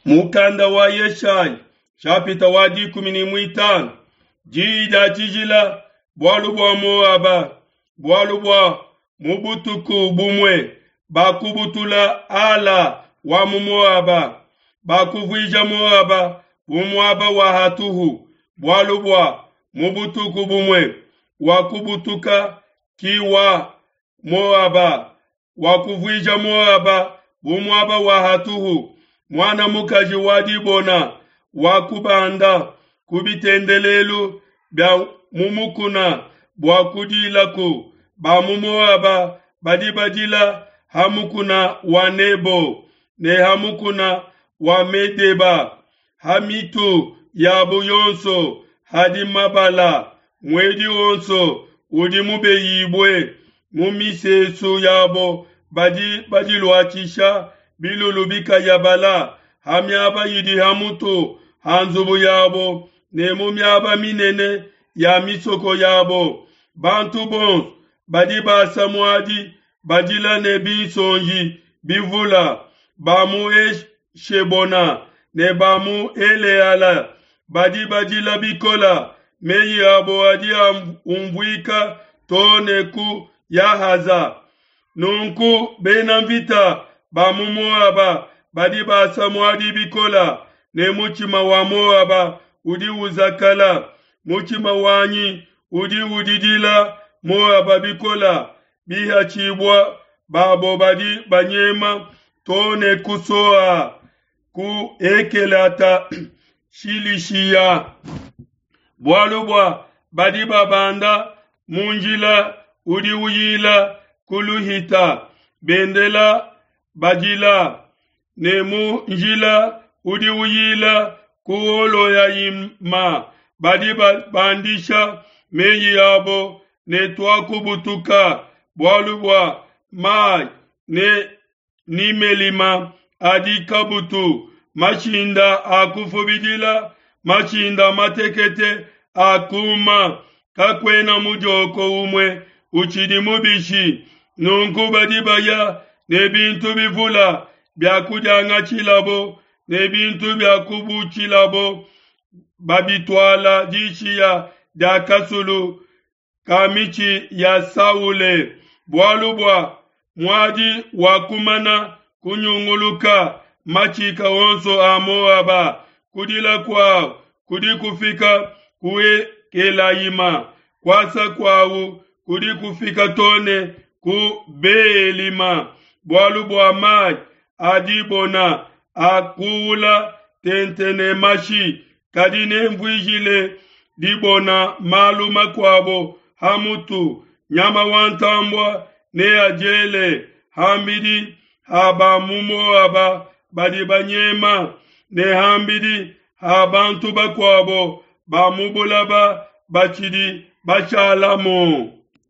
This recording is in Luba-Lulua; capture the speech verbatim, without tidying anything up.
Mukanda wa Yeshaya nshapita wa dikumi ne muitanu diyi dia tshijila bualu bua Moaba, bualu bua mu butuku bumue bakubutula Ala wa mu Moaba, bakuvuija Moaba bu muaba wa hatuhu, bualu bua mu butuku bumue wakubutuka Ki wa Moaba, wakuvuija Moaba bu muaba wa hatuhu. Muana mukaji wa Dibona wakubanda ku bitendelelu bia mu mukuna bua kudilaku. Ba mu Moaba badi badila ha mukuna wa Nebo ne ha mukuna wa Medeba. Ha mitu yabo yonso hadi mabala, muedi wonso udi mubeyibue. Mu misesu yabo badi badiluatshisha bilulu bikayabala, ha miaba idi ha mutu ha nzubu yabo ne mu miaba minene ya misoko yabo. Bantu bonso badi basa muadi badila ne binsonji bivula. Ba mu Heshebona ne ba mu Eleala badi badila bikola, meyi abo adi umvuika too ne ku Yahaza. Nunku bena mvita ba mu Moaba badi basa muadi bikola, ne mutshima wa Moaba udi uzakala. Mutshima wanyi udi udidila Moaba bikola, bihatshibua babo badi banyema too ne ku Soa, ku Ekelata Shilishiya. Bualu bua badi babanda mu njila udi uyila ku Luhita, bendela badila, ne mu njila udi uyila ku Holoyayima badi babandisha meyi abo ne tuakubutuka, bualu bua mai ne Nimelima adi kabutu, mashinda a kufubidila, mashinda matekete a kuma, kakuena mudioko umue utshidi mubishi. Nunku badi baya ne bintu bivula bia kudiangatshilabo ne bintu bia kubutshilabo, babituala dishiya dia kasulu ka mitshi ya saule, bualu bua muadi wakumana kunyunguluka matshika onso a Moaba. Kudila kuawu kudi kufika ku Ekelayima, kuasa kuawu kudi kufika too ne ku Beelima, bualu bua mai a Dibona akuula tente ne mashi. Kadi nenvuijile Dibona malu makuabo ha mutu, nyama wa ntambue neadiele ham'bidi ha ba mu Moaba badi banyema, ne ham'bidi ha bantu bakuabo ba mu bulaba batshidi bashalamu.